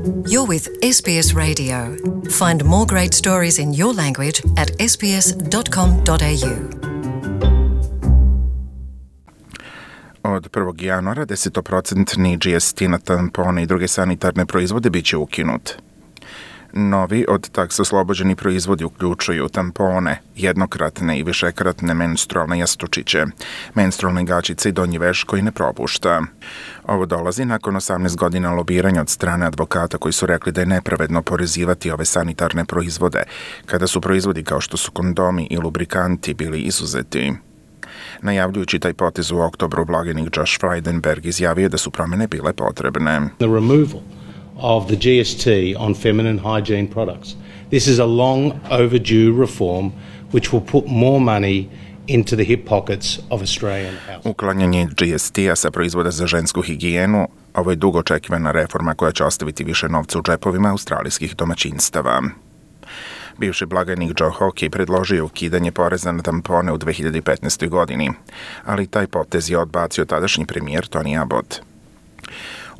You're with SBS Radio. Find more great stories in your language at sbs.com.au. Od 1. januara 10% GST na tampone i druge sanitarne proizvode bit će ukinut. Novi od taksa oslobođeni proizvodi uključuju tampone, jednokratne i višekratne menstrualne jastučiće, menstrualne gaćice i donji veš koji ne propušta. Ovo dolazi nakon 18 godina lobiranja od strane advokata koji su rekli da je nepravedno porezivati ove sanitarne proizvode, kada su proizvodi kao što su kondomi i lubrikanti bili izuzeti. Najavljujući taj potez u oktobru, blagajnik Josh Frydenberg izjavio da su promjene bile potrebne. The removal of the GST on feminine hygiene products. This is a long overdue reform which will put more money into the hip pockets of Australian households. Uklanjanje GST-a sa proizvoda za žensku higijenu, ovo je dugo očekivana reforma koja će ostaviti više novca u džepovima australijskih domaćinstava. Bivši blagajnik Joe Hockey predložio ukidanje poreza na tampone u 2015. godini, ali taj potez je odbacio tadašnji premijer Tony Abbott.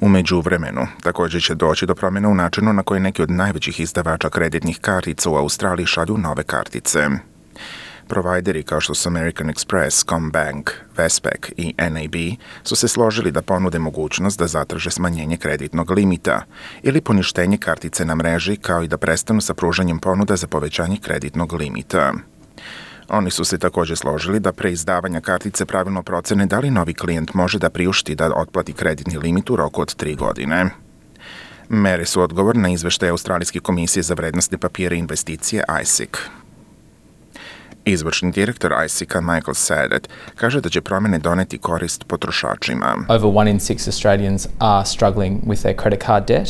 U međuvremenu, također će doći do promjena u načinu na koji neki od najvećih izdavača kreditnih kartica u Australiji šalju nove kartice. Provajderi kao što su American Express, CommBank, Westpac i NAB su se složili da ponude mogućnost da zatraže smanjenje kreditnog limita ili poništenje kartice na mreži, kao i da prestanu sa pružanjem ponuda za povećanje kreditnog limita. Oni su se također složili da pre izdavanja kartice pravilno procene da li novi klijent može da priušti da otplati kreditni limit u roku od 3 godine. Mere su odgovor na izveštaj Australijske komisije za vrednostne papire i investicije ASIC. Izvršni direktor ASIC-a Michael Sadet kaže da će promjene doneti korist potrošačima. Over 1 in 6 Australians are struggling with their credit card debt,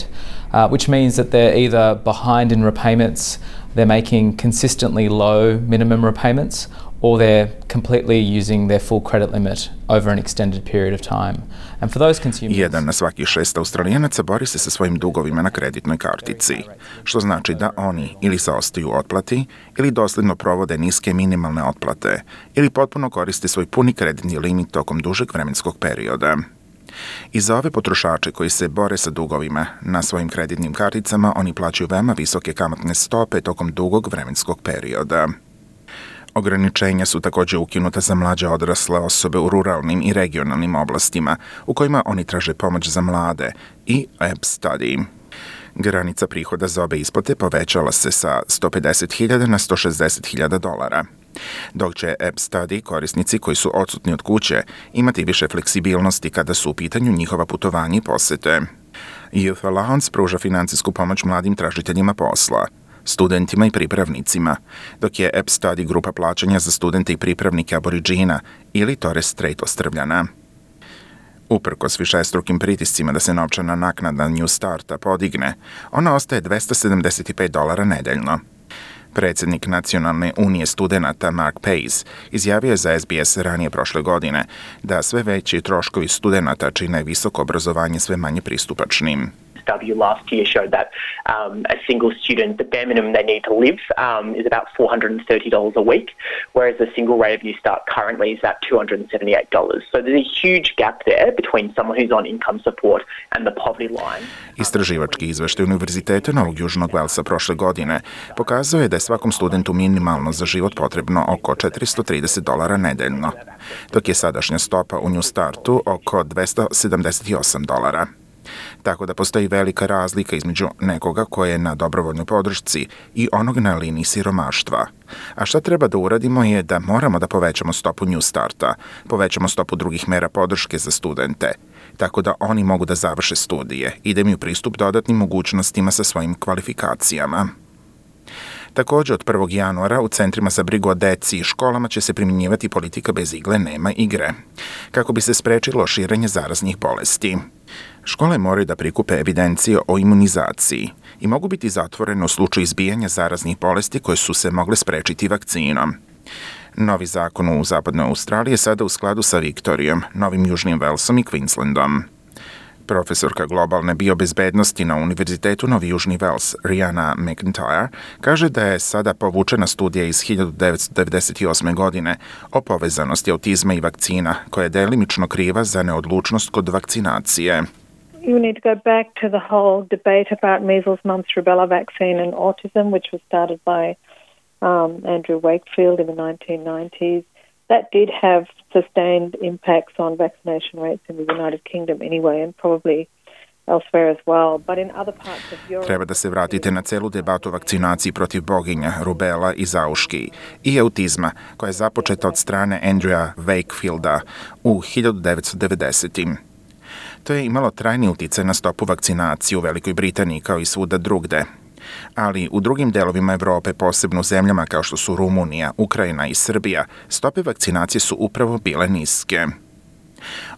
which means that they're either behind in repayments, they're making consistently low minimum repayments, or they're completely using their full credit limit over an extended period of time. And for those consumers... 1 na svaki 6 Australijanaca bori se sa svojim dugovima na kreditnoj kartici, što znači da oni ili zaostaju u otplati, ili dosledno provode niske minimalne otplate, ili potpuno koriste svoj puni kreditni limit tokom dužeg vremenskog perioda. I za ove potrošače koji se bore sa dugovima na svojim kreditnim karticama, oni plaćaju veoma visoke kamatne stope tokom dugog vremenskog perioda. Ograničenja su također ukinuta za mlađe odrasle osobe u ruralnim i regionalnim oblastima, u kojima oni traže pomoć za mlade i App Study. Granica prihoda za obe isplate povećala se sa $150,000 na $160,000, dok će App Study korisnici koji su odsutni od kuće imati više fleksibilnosti kada su u pitanju njihova putovanja i posete. Youth Allowance pruža financijsku pomoć mladim tražiteljima posla, studentima i pripravnicima, dok je App Study grupa plaćanja za studente i pripravnike Aboriđina ili Torres Strait Ostrvljana. Uprkos višestrukim pritiscima da se novčana naknada New Starta podigne, ona ostaje $275 nedeljno. Predsjednik Nacionalne unije studenata Mark Pace izjavio je za SBS ranije prošle godine da sve veći troškovi studenata čine visoko obrazovanje sve manje pristupačnim. Study last year showed that a single student, the bare minimum they need to live is about $430 a week, whereas the single rate of New Start currently is at $278. So there's a huge gap there between someone who's on income support and the poverty line. Istraživački izveštaj Univerziteta Novog Južnog Velsa prošle godine pokazao je da je svakom studentu minimalno za život potrebno oko $430 nedeljno, dok je sadašnja stopa u New Startu oko $278. Tako da postoji velika razlika između nekoga koje je na dobrovoljnoj podršci i onog na liniji siromaštva. A šta treba da uradimo je da moramo da povećamo stopu New Starta, povećamo stopu drugih mera podrške za studente, tako da oni mogu da završe studije i da imaju pristup dodatnim mogućnostima sa svojim kvalifikacijama. Također, od 1. januara u centrima za brigu o deci i školama će se primjenjivati politika bez igle nema igre, kako bi se sprečilo širenje zaraznih bolesti. Škole moraju da prikupe evidencije o imunizaciji i mogu biti zatvorene u slučaju izbijanja zaraznih bolesti koje su se mogle sprečiti vakcinom. Novi zakon u zapadnoj Australiji je sada u skladu sa Viktorijom, Novim Južnim Velsom i Queenslandom. Profesorka globalne biobezbednosti na Univerzitetu Novi Južni Vels, Rihanna McIntyre, kaže da je sada povučena studija iz 1998. godine o povezanosti autizma i vakcina, koja je delimično kriva za neodlučnost kod vakcinacije. you need to go back to the whole debate about measles, mumps, rubella vaccine and autism, which was started by Andrew Wakefield in the 1990s. That did have sustained impacts on vaccination rates in the United Kingdom anyway, and probably elsewhere as well. But in other parts of Europe... Treba da se vratite na celu debatu o vakcinaciji protiv boginja, rubela i zauški i autizma, koja je započeta od strane Andrewa Wakefielda u 1990. To je imalo trajni uticaj na stopu vakcinacije u Velikoj Britaniji kao i svuda drugde. Ali u drugim delovima Evrope, posebno u zemljama kao što su Rumunija, Ukrajina i Srbija, stope vakcinacije su upravo bile niske.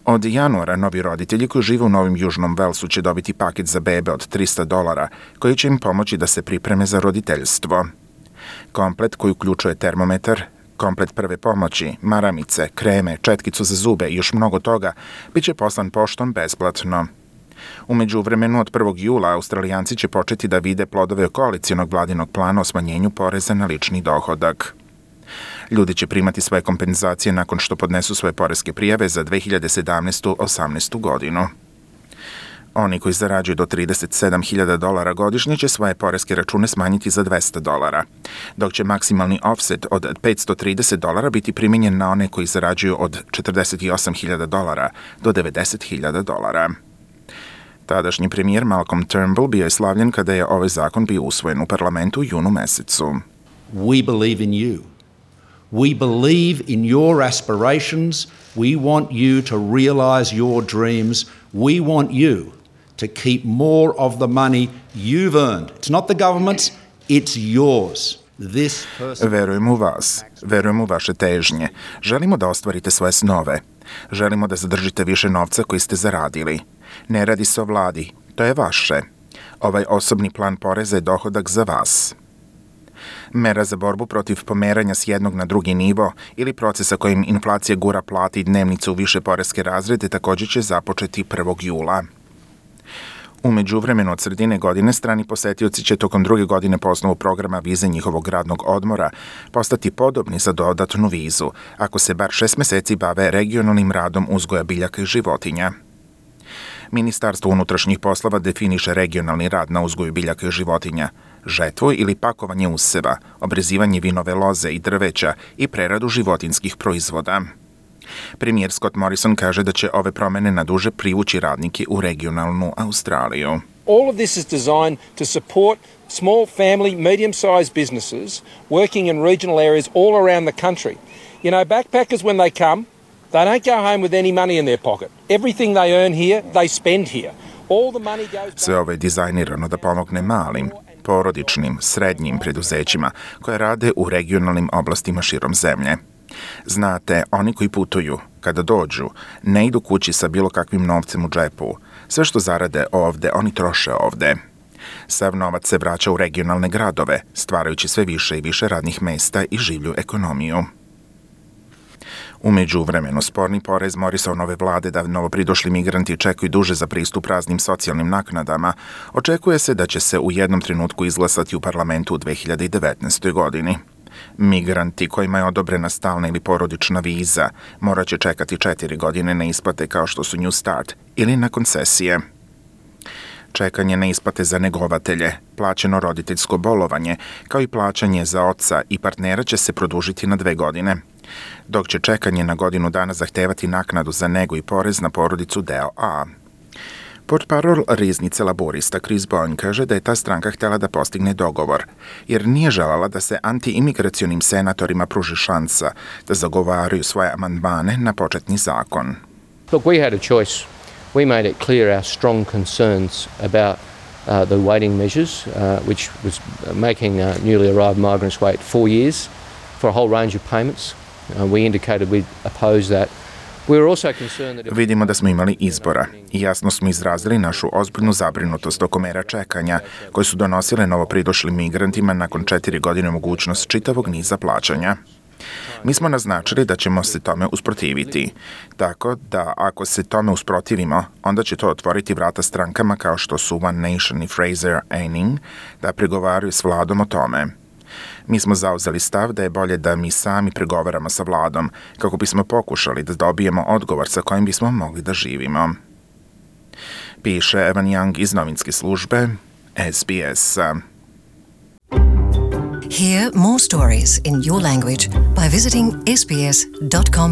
Od januara novi roditelji koji žive u Novom Južnom Velsu će dobiti paket za bebe od $300 koji će im pomoći da se pripreme za roditeljstvo. Komplet koji uključuje termometar, komplet prve pomoći, maramice, kreme, četkicu za zube i još mnogo toga bit će poslan poštom besplatno. U međuvremenu od 1. jula Australijanci će početi da vide plodove koalicionog vladinog plana o smanjenju poreza na lični dohodak. Ljudi će primati svoje kompenzacije nakon što podnesu svoje poreske prijave za 2017-18 godinu. Oni koji zarađuju do $37.000 godišnje će svoje poreske račune smanjiti za $200, dok će maksimalni offset od $530 biti primijenjen na one koji zarađuju od $48.000 do $90.000. Tadašnji premijer Malcolm Turnbull bio je slavljen kada je ovaj zakon bio usvojen u parlamentu u junu mesecu. We believe in you. We believe in your aspirations. We want you to realize your dreams. We want you to keep more of the money you've earned. It's not the government's, it's yours. Verujemo u vas, verujemo u vaše težnje. Želimo da ostvarite svoje snove. Želimo da zadržite više novca koji ste zaradili. Ne radi se o vladi, to je vaše. Ovaj osobni plan poreza je dohodak za vas. Mera za borbu protiv pomeranja s jednog na drugi nivo ili procesa kojim inflacija gura plate i dnevnice u više poreske razrede također će započeti 1. jula. U međuvremenu od sredine godine strani posetioci će tokom druge godine po osnovu programa vize njihovog radnog odmora postati podobni za dodatnu vizu, ako se bar 6 meseci bave regionalnim radom uzgoja biljaka i životinja. Ministarstvo unutrašnjih poslova definiše regionalni rad na uzgoju biljaka i životinja, žetvu ili pakovanje useva, obrezivanje vinove loze i drveća i preradu životinskih proizvoda. Premijer Scott Morrison kaže da će ove promene na duže privući radnike u regionalnu Australiju. All of this is designed to support small family, medium-sized businesses working in regional areas all around the country. You know, backpackers when they come, they don't go home with any money in their pocket. Everything they earn here, they spend here. All the money goes back. Sve ovo je dizajnirano da pomogne malim, porodičnim, srednjim preduzećima koje rade u regionalnim oblastima širom zemlje. Znate, oni koji putuju, kada dođu, ne idu kući sa bilo kakvim novcem u džepu. Sve što zarade ovde, oni troše ovde. Sav novac se vraća u regionalne gradove, stvarajući sve više i više radnih mesta i življu ekonomiju. U međuvremenu, sporni porez Morrisonove vlade da novopridošli migranti čekaju duže za pristup raznim socijalnim naknadama, očekuje se da će se u jednom trenutku izglasati u parlamentu u 2019. godini. Migranti kojima je odobrena stalna ili porodična viza morat će čekati 4 godine na isplate kao što su New Start ili na koncesije. Čekanje na isplate za negovatelje, plaćeno roditeljsko bolovanje, kao i plaćanje za oca i partnera će se produžiti na 2 godine, dok će čekanje na godinu dana zahtevati naknadu za nego i porez na porodicu deo A. Portparol riznice laborista Chris Bowen kaže da je ta stranka htjela da postigne dogovor, jer nije želala da se anti-imigracionim senatorima pruži šansa da zagovaraju svoje amandmane na početni zakon. Look, we had a choice. We made it clear our strong concerns about the waiting measures, which was making newly arrived migrants wait 4 years for a whole range of payments. We indicated we oppose that. Vidimo da smo imali izbora i jasno smo izrazili našu ozbiljnu zabrinutost oko mera čekanja koje su donosile novopridošlim migrantima nakon 4 godine mogućnost čitavog niza plaćanja. Mi smo naznačili da ćemo se tome usprotiviti, tako da ako se tome usprotivimo, onda će to otvoriti vrata strankama kao što su One Nation i Fraser Anning da pregovaraju s vladom o tome. Mi smo zauzeli stav da je bolje da mi sami pregovaramo sa vladom kako bismo pokušali da dobijemo odgovor sa kojim bismo mogli da živimo. piše Evan Young iz novinske službe SBS-a. Hear more stories in your language by visiting sbs.com.au.